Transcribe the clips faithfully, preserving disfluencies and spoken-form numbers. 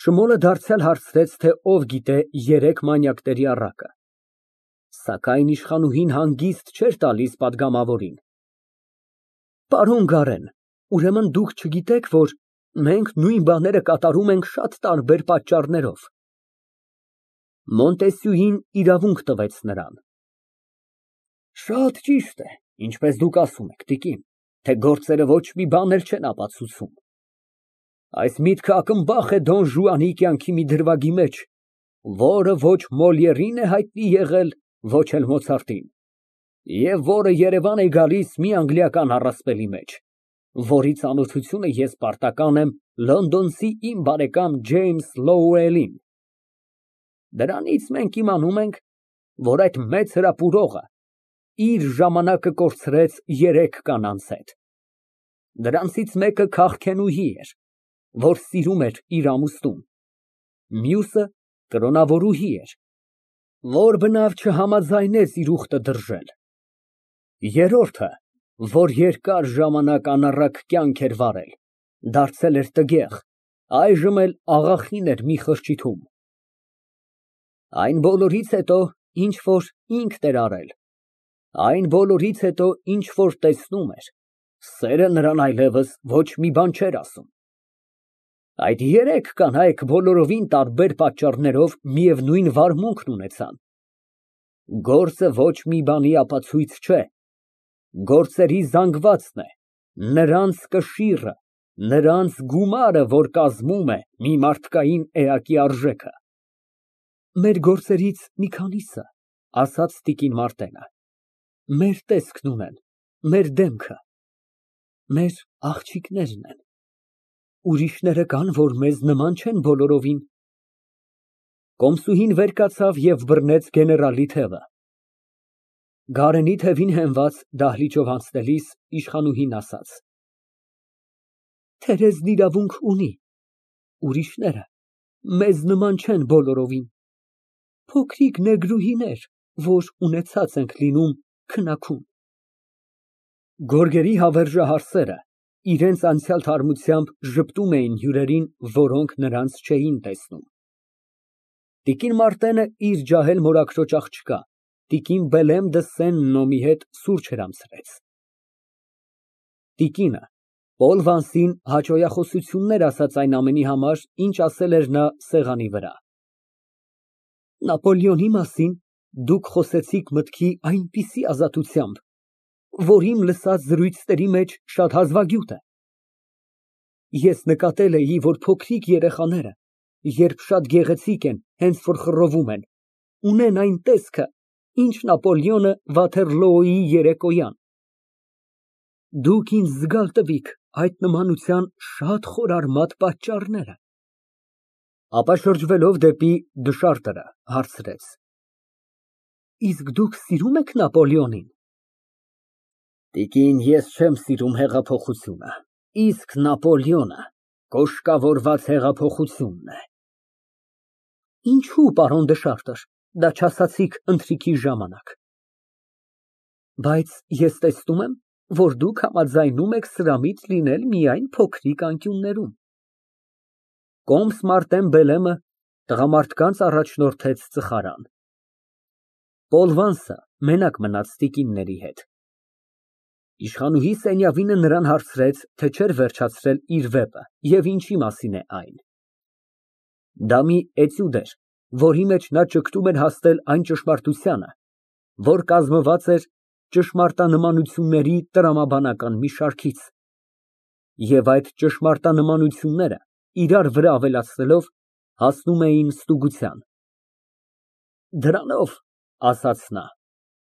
Շմուլը դարձյալ հարցրեց, թե ով գիտե երեք մանյակների առակը, սակայն իշխանուհին հանգիստ չէր տալիս պատգամավորին։ Պարոն Գարեն, ուրեմն դուք չգիտեք, որ մենք նույն բաները կատարում ենք շատ տարբեր պատճառներով։ Մոնտեսյուին իրավունք տվեց նրան։ Շատ ճիշտ է, ինչպես դուք ասում եք, տիկին, թե գործերը ոչ մի բան էլ չեն ապացուցում։ Այս միտքը ակնբախ է Դոն Ժուանի կյանքի մի դրվագի մեջ, որը ոչ Մոլիերին է հայտնի եղել, ոչ էլ Մոցարտին, և որը Երևան է գալիս մի անգլիական առասպելի մեջ, որի ծանոթությունը ես պարտական եմ լոնդոնցի իմ բարեկամ Ջեյմս Լոուելին։ Դրանից մենք իմանում ենք, որ այդ մեծ հրապուրողը իր ժամանակը կորցրեց երեք կանանց հետ։ Դրանցից մեկը քաղքենուհի էր, որ սիրում էր իր ամուսնուն, մյուսը կրոնավորուհի էր, որ բնավ չհամաձայնեց իր ուխտը դրժել, երրորդը, որ երկար ժամանակ անառակ կյանք էր վարել, դարձել էր տգեղ, այժմ էլ աղախին էր մի խրճիթում։ Այն բոլորից հետո, ինչ որ ինքն էր արել, այն բոլորից հետո, ինչ որ տեսնում էր, սերը նրան այլևս ոչ մի բան չէր ասում։ Այդ երեք կանայք բոլորովին տարբեր պատճառներով միևնույն վարմունքն ունեցան։ Գործը ոչ մի բանի ապացույց չէ, գործերի զանգվածն է, նրանց կշիռը, նրանց գումարը, որ կազմում է մի մարդկային էակի արժեքը։ Մեր գործերից մի քանիսը, ասաց տիկին Մարտենը, մեր տեսքն ունեն, մեր դեմքը, մեր աղջիկներն են, ուրիշները կան, որ մեզ նման չեն բոլորովին։ Կոմսուհին վեր կացավ և բռնեց գեներալի թևը։ Գարենի թևին հենված դահլիճով անցնելիս իշխանուհին ասաց. Թերեզն իրավունք ունի, ուրիշները մեզ նման չեն բոլորովին, փոքրիկ նեգրուհիներ, որ ունեցած ենք լինում քնաքուն։ Գորգերի հավերժահարսերը իրենց անցյալ թարմությամբ ժպտում էին հյուրերին, որոնք նրանց չէին տեսնում։ Տիկին Մարտենը իր ջահել մորաքրոջ աղջկա, տիկին Բելեմ դը Սեն֊Նոմի հետ սուրճ հրամցրեց։ Տիկինը Պոլ Վանսին հաճոյախոսություններ ասաց այն ամենի համար, ինչ ասել էր նա սեղանի վրա։ Նապոլեոնի մասին դուք խոսեցիք մտքի այնպիսի ազատությամբ, որ իմ լսած զրույցների մեջ շատ հազվագյուտ է։ Ես նկատել էի, որ փոքրիկ երեխաները, երբ շատ գեղեցիկ են, հենց որ խռովում են, ունեն այն տեսքը, ինչ Նապոլեոնը Վաթերլոոյի երեկոյան։ Դուք ինձ զգալ տվիք այդ նմանության շատ խորարմատ պատճառները։ Ապա շրջվելով դեպի դշարտերը, հարցրեց. Իսկ դուք սիրում եք Նապոլեոնին։ Տիկին, ես չեմ սիրում հեղափոխությունը, իսկ Նապոլեոնը կոշկավորված հեղափոխությունն է։ Ինչու, պարոն դշարտր, դա չասացիք ընթրիքի ժամանակ։ Բայց ես տեսնում եմ, որ դուք համաձայնում եք սրամիտ լինել միայն փոքրիկ անկյուններում։ Կոմս Մարտեն Բելեմը տղամարդկանց առաջնորդեց ծխարան։ Պոլ Վանսը մենակ մնաց տիկինների հետ։ Իշխանուհի Սենյավինը նրան հարցրեց, թե չէր վերջացրել իր վեպը և ինչի մասին է այն։ Դա մի էտյուդ էր, որի մեջ նա ճգտում էր հասնել այն ճշմարտությանը, որ կազմված էր ճշմարտանմանությունների տրամաբանական մի շարքից, և այդ ճշմարտանմանությունները իրար վրա ավելացնելով հասնում էին ստուգության։ Դրանով, ասաց նա,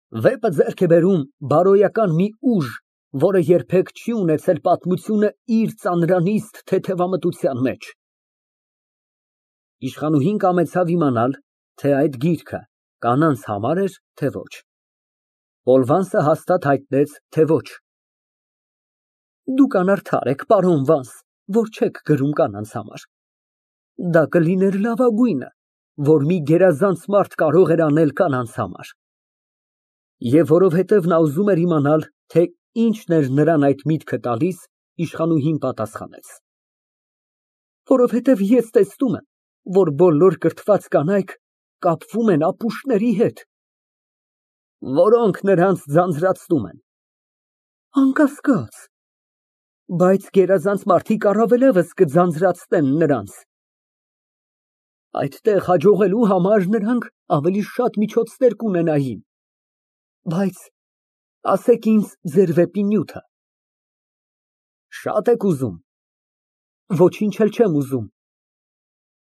վեպը ձեռք է բերում բարոյական մի ուժ, որը երբեք չի ունեցել պատմությունը իր ծանրանիստ թեթևամտության մեջ։ Իշխանուհին կամեցավ իմանալ, թե այդ գիրքը կանանց համար էր, թե ոչ։ Պոլ Վանսը հաստատ հայտնեց, թե ոչ։ Դուք անարդար եք, պարոն Վանս, որ չեք գրում կանանց համար։ Դա կլիներ լավագույնը, որ մի գերազանց մարդ կարող էր անել կանանց համար։ Եվ որովհետև նա ուզում էր իմանալ, թե ինչն էր նրան այդ միտքը տալիս, իշխանուհին պատասխանեց. Որովհետև ես տեսնում եմ, որ բոլոր կրթված կանայք կապվում են ապուշների հետ, որոնք նրանց ձանձրացնում են։ Անկասկած, բայց գերազանց մարդիկ առավելևս կձանձրացնեն նրանց։ Այդտեղ հաջողելու համար նրանք ավելի շատ միջոցներ կունենային, բայց ասեք ինձ ձեր վեպի նյութը։ Շատ եք ուզում։ Ոչինչ էլ չեմ ուզում։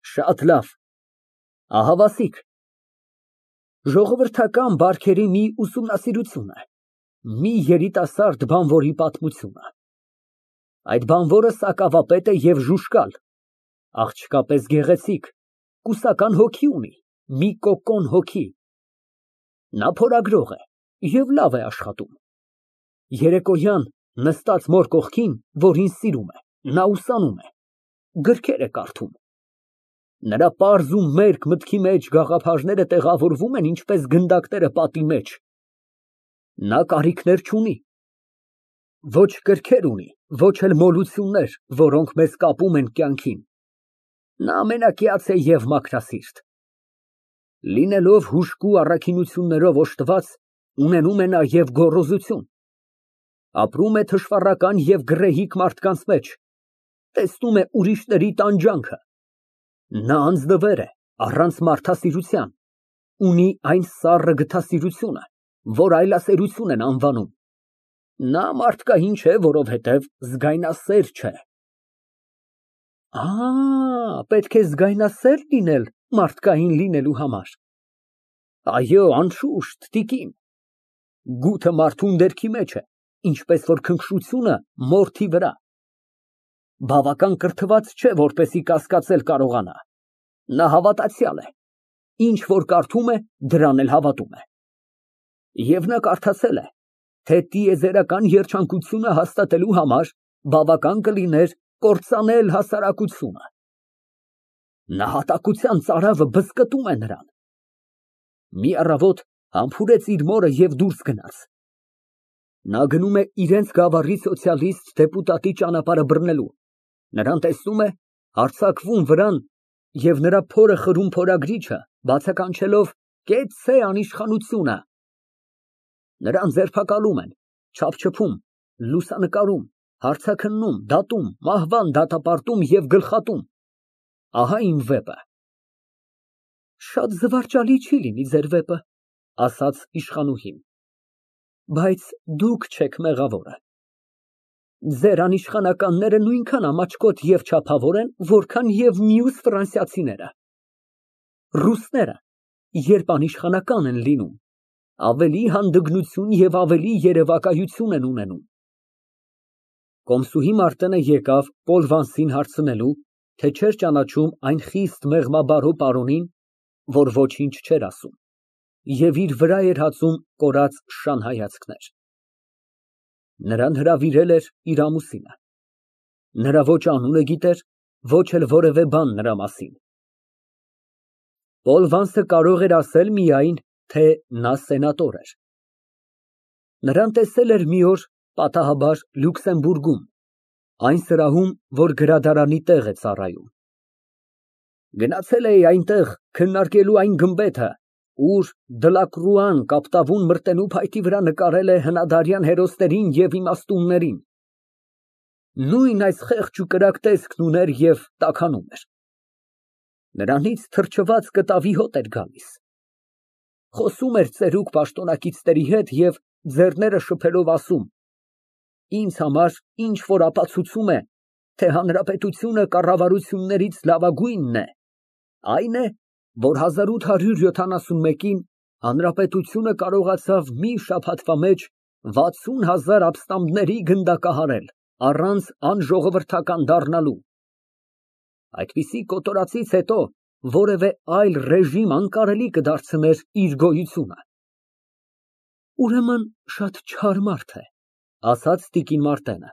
Շատ լավ, ահա ասիկ։ Ժողովրդական բարքերի մի ուսումնասիրություն է, մի երիտասարդ բանվորի պատմությունը։ Այդ բանվորը սակավապետ է և ժուժկալ, աղջկա պես գեղեցիկ, կուսական հոգի ունի, մի կոկոն հոգի։ Նա փորագրող է և լավ է աշխատում։ Երեկոյան նստած մոր կողքին, որին սիրում է, նա ուսանում է, գրքեր է կարդում։ Նրա պարզ ու մերկ մտքի մեջ գաղափարները տեղավորվում են ինչպես գնդակները պատի մեջ։ Նա կարիքներ չունի, ոչ կրքեր ունի, ոչ էլ մոլություններ, որոնք մեզ կապում են կյանքին։ Նա ամենակիաց է և մաքրասիրտ։ Լինելով հուժկու առաքինություններով օժտված, ունենում է նաև գոռոզություն։ Ապրում է թշվառական և գռեհիկ մարդկանց մեջ, տեսնում է ուրիշների տանջանքը։ Նա անձնվեր է, առանց մարդասիրության, ունի այն սառը գթասիրությունը, որ այլասերություն են անվանում։ Նա մարդկային չէ, որովհետև զգայնասեր չէ։ Ա, պետք է զգայնասեր լինել մարդկային լինելու համար։ Այո, անշուշտ, տիկին, գութը մարդու ունդերքի մեջ է, ինչպես որ քնքշությունը մորթի վրա։ Բավական կրթված չէ, որպեսզի կասկածել կարողանա։ Նա հավատացյալ է, ինչ որ կարդում է, դրան էլ հավատում է։ Եվ նա կարդացել է, թե տիեզերական երջանկությունը հաստատելու համար բավական կլիներ կործանել հասարակությունը։ Նահատակության ծարավը բզկտում է նրան։ Մի առավոտ համբուրեց իր մորը և դուրս գնաց։ Նա գնում է իրենց գավառի սոցիալիստ դեպուտատի ճանապարհը բռնելու, նրան տեսնում է, հարձակվում վրան և նրա փորը խրում փորագրիչը, բացականչելով «Կեցցե անիշխանությունը»։ Նրան ձերբակալում են, չափչփում, լուսանկարում, հարցաքննում, դատում, մահվան դատապարտում և գլխատում։ Ահա իմ վեպը։ Շատ զվարճալի չի լինի ձեր վեպը, ասաց իշխանուհին, բայց դուք չեք մեղավորը։ Ձեր անիշխանականները նույնքան ամաչկոտ և չափավոր են, որքան և մյուս ֆրանսիացիները։ Ռուսները, երբ անիշխանական են լինում, ավելի հանդգնություն և ավելի երևակայություն են ունենում։ Կոմսուհի Մարտենը եկավ Պոլ Վանսին հարցնելու, թե չէր ճանաչում այն խիստ մեղմաբարո պարոնին, որ ոչինչ չէր ասում, և իր վրա էր հածում կորած շան հայացքներ։ Նրան հրավիրել էր իր ամուսինը։ Նրա ոչ անունը գիտեր, ոչ էլ որևէ բան նրա մասին։ Պոլ Վանսը կարող էր ասել միայն, թե նա սենատոր էր։ Նրան տեսել էր մի օր, պատահաբար, Լյուքսեմբուրգում, այն սրահում, որ գրադարանի տեղ է ծառայում։ Գնացել էի այնտեղ քննարկելու այն գմբեթը, ուր Դլակրուան կապտավուն մրտելու փայտի վրա նկարել է հնադարյան հերոսներին և իմաստուններին։ Նույն այս խեղճ ու կրակ տեսքն ուներ և տաքանում էր։ Նրանից թրջված կտավի հոտ էր գալիս։ Խոսում էր ծերուկ պաշտոնակիցների հետ և ձեռները շփելով ասում. «Ինձ համար ինչ որ ապացուցում է, թե հանրապետությունը կառավարություններից լավագույնն է, այն է, որ հազար ութ հարյուր յոթանասունմեկին հանրապետությունը կարողացավ մի շաբաթվա մեջ վաթսուն հազար ապստամբների գնդակահարել, առանց անժողովրդական դառնալու։ Այդպիսի կոտորածից հետո որևէ այլ ռեժիմ անկարելի կդարձներ իր գոյությունը»։ Ուրեմն շատ չար մարդ է, ասաց տիկին Մարտենը։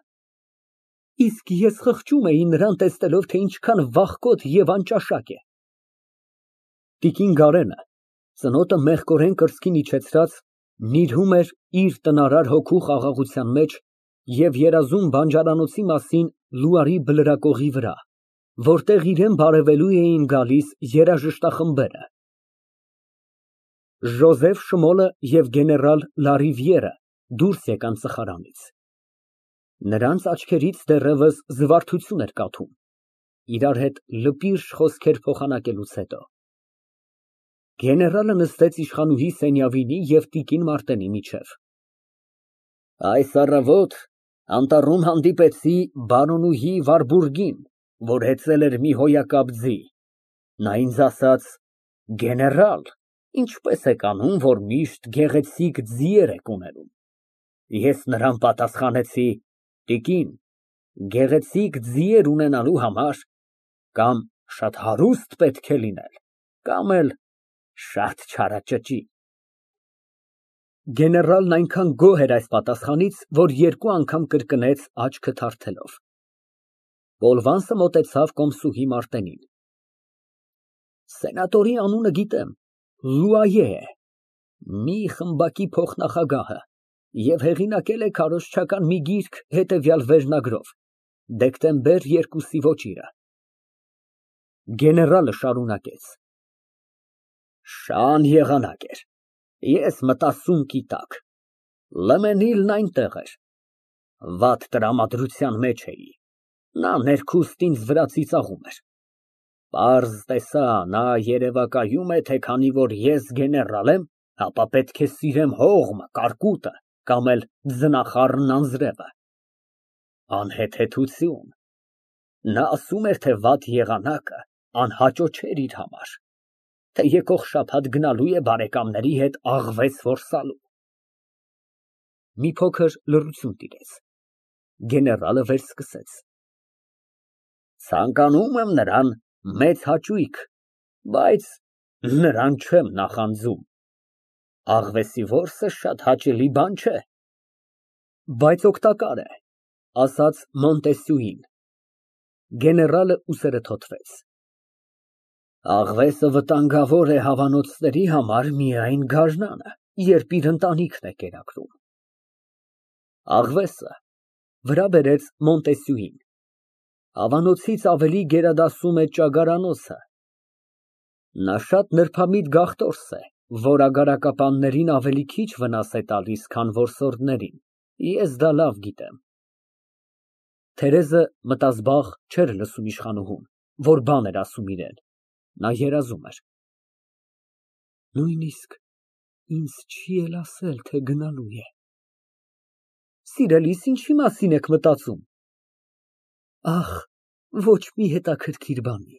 Իսկ ես խղճում էի նրան տեսնելով, թե ինչքան վախկոտ և անճաշակ է։ Տիկին Գարենը, ծնոտը մեղկորեն կրծքին իջեցրած, նիրհում էր իր տնարար հոգու խաղաղության մեջ և երազում բանջարանոցի մասին Լուարի բլրակողի վրա, որտեղ իրան բարևելու էին գալիս երաժշտախմբերը։ Ժոզեֆ Շմոլը և գեներալ Լարիվիերը դուրս եկան սխարանից։ Նրանց աչքերից դեռևս զվարթություն էր կաթում, իրար հետ լպիրշ խոսքեր փոխանակելուց հետո։ Գեներալը նստեց իշխանուհի Սենյավինի և տիկին Մարտենի միջև։ Այս առավոտ անտառում հանդիպեցի բարոնուհի Վարբուրգին, որ հեծել էր մի հոյակապ ձի։ Նա ինձ ասաց. «Գեներալ, ինչպես եք անում, որ միշտ գեղեցիկ ձիեր եք ունենում»։ Ես նրան պատասխանեցի. «Տիկին, գեղեցիկ ձիեր ունենալու համար կամ շատ հարուստ պետք է լինել, կամ էլ շատ չարաճճի»։ Գեներալն այնքան գոհ էր այս պատասխանից, որ երկու անգամ կրկնեց աչքը թարթելով։ Բոլվանսը մոտեցավ կոմսուհի Մարտենին։ Սենատորի անունը գիտեմ, Լուայե է, մի խմբակի փոխնախագահը, և հեղինակել է քարոզչական մի գիրք հետևյալ վերնագրով, դեկտեմբեր երկուսի ոճիրը։ Գեներալը շարունակեց. Շան եղանակ էր, ես մտասունկի տակ, Լեմենիլն այնտեղ էր, վատ տրամադրության մեջ էի, նա ներքուստ ինձ վրա ծիծաղում էր։ Պարզ տեսա, նա երևակայում է, թե քանի որ ես գեներալ եմ, ապա պետք է սիրեմ հողմը, կարկուտը կամ էլ ձնախառնն անձրևը։ Անհեթեթություն։ Նա ասում էր, թե վատ եղանակը անհաճո չէր իր համար, թե եկող շաբաթ գնալու է բարեկամների հետ աղվես որսալու։ Մի փոքր լռություն տիրեց, գեներալը վերսկսեց. Ցանկանում եմ նրան մեծ հաճույք, բայց նրան չեմ նախանձում, աղվեսի որսը շատ հաճելի բան չէ։ Բայց օգտակար է, ասաց Մոնտեսյուին։ Գեներալը ուսերը թոթվեց։ Աղվեսը վտանգավոր է հավանոցների համար միայն գարնանը, երբ իր ընտանիքն է կերակրում։ Աղվեսը, վրա բերեց Մոնտեսյուին, հավանոցից ավելի գերադասում է ճագարանոցը։ Նա շատ նրբամիտ գաղթորս է, որ ագարակապաններին ավելի քիչ վնաս է տալիս, քան որսորդներին, ես դա լավ գիտեմ։ Թերեզը մտազբաղ չէր լսում իշխանուհուն, որ բան էր ասում իրան, նա երազում էր։ Նույնիսկ ինձ չի էլ ասել, թե գնալու է։ Սիրելիս, ինչի մասին եք մտածում։ Ախ, ոչ մի հետաքրքիր բանի։